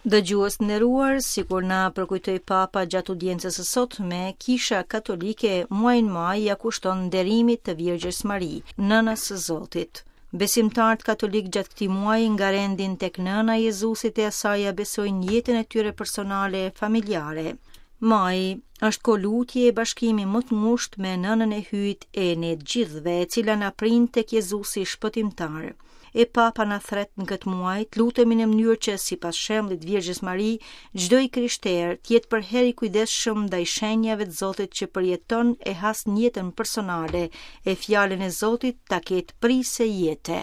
Dëgjues të nderuar, sikur na përkujtoi Papa gjatë audiencës së sotme, Kisha Katolike muajin maj ia kushton nderimit të Virgjës Mari, Nënës së Zotit. Besimtarët katolikë gjatë këtij muaji ngarendin tek Nëna e Jezusit e asaj ia besojnë jetën e tyre personale e familjare. Maji është kohë lutje e bashkimi më të ngushtë me Nënën e Hyjit e ne të gjithëve, e cila na prin tek Jezusi shpëtimtar. E Papa na thërret në këtë muaj të lutemi në mënyrë që, sipas shembullit të Virgjës Mari, çdo i krishterë të jetë përherë i kujdesshëm ndaj shenjave të Zotit që përjeton e has në jetën personale e fjalën e Zotit ta ketë prijëse jete.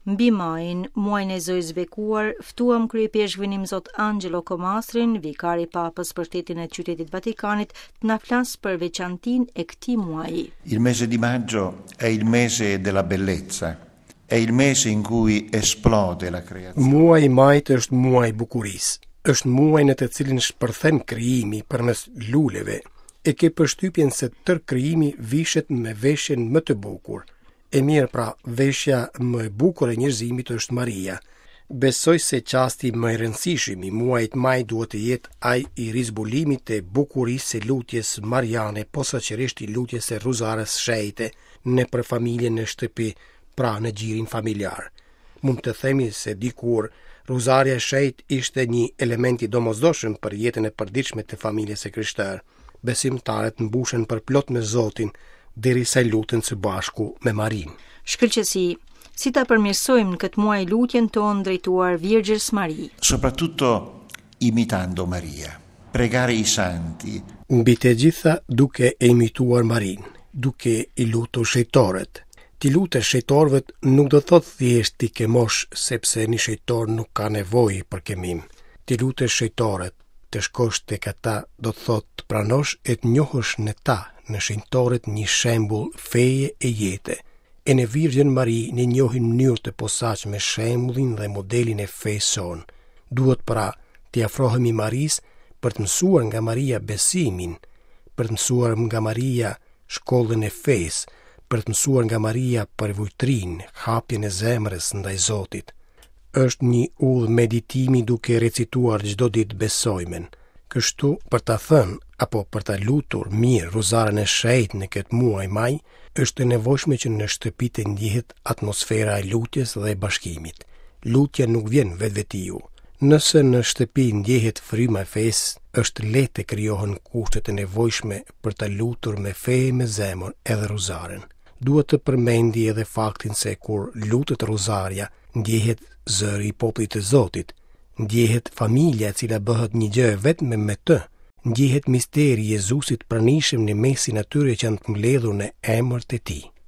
Mbi majin, muajin e Zojës së Bekuar, ftuam kryeipeshkvin Imzot Angelo Comastrin, vikar i Papës për shtetin e Qytetit Vatikanit, të na flasë për veçantinë e këtij muaji. Il mese di maggio è il mese della bellezza. È il mese in cui esplode la creazione. Muaji i majit është muaji i bukurisë. Është muaj në të cilin shpërthen krijimi përmes luleve. E ke përshtypjen se tërë krijimi vishet me veshjen më të bukur. E mirë pra, veshja më e bukur e njerëzimit është Maria. Besoj se çasti më i rëndësishëm i muajit maj duhet të jetë ai i rizbulimit të bukurisë së lutjes mariane, posaçërisht i lutjes së Rruzares Shenjte, nëpër familje në shtëpi, pra në gjirin familjar. Mund të themi se dikur Rruzarja e Shenjtë ishte një element i domosdoshëm për jetën e përditshme të familjes së krishterë. Besimtarët mbushen përplot me Zotin, derisa luten së bashku me Marinë. Shkëlqesi, si ta përmirësojmë në këtë muaj lutjen tonë drejtuar Virgjës Mari? Soprattutto imitando Maria. Pregare i santi. Mbi të gjitha duke e imituar Marinë, duke i lutur shenjtorët. T'i lutesh shenjtorëve nuk do të thotë thjesht t'i këmosh sepse një shenjtor nuk ka nevojë për këmim. T'i lutesh shenjtorët, të shkosh tek ata do të thotë të pranosh e të njohësh në ta, në shenjtorët një shembull feje e jete. E në Virgjën Mari ne njohim në mënyrë të posaçme shembullin dhe modelin e fesë sonë. Duhet pra t'i afrohemi Marisë për të mësuar nga Maria besimin, për të mësuar nga Maria shkollën e fesë, për të mësuar nga Maria përvujtërinë, hapjen e zemrës ndaj Zotit. Është një udhë meditimi duke recituar çdo ditë besojmen. Kështu, për ta thënë apo për ta lutur mirë Rruzaren e Shenjtë në këtë muaj maj, është e nevojshme që në shtëpi të ndjehet atmosfera e lutjes dhe e bashkimit. Lutja nuk vjen vetvetiu. Nëse në shtëpi ndjehet fryma e fesë, është lehtë të krijohen kushtet e nevojshme për ta lutur me fe e me zemër edhe Rruzaren. Duhet të përmendi edhe faktin se kur lutet Rruzarja, ndjehet zëri i popullit të Zotit, ndjehet familja e cila bëhet një gjë e vetme me të, ndjehet misteri i Jezusit pranishëm në mesin e atyre që janë të mbledhur në emër të tij.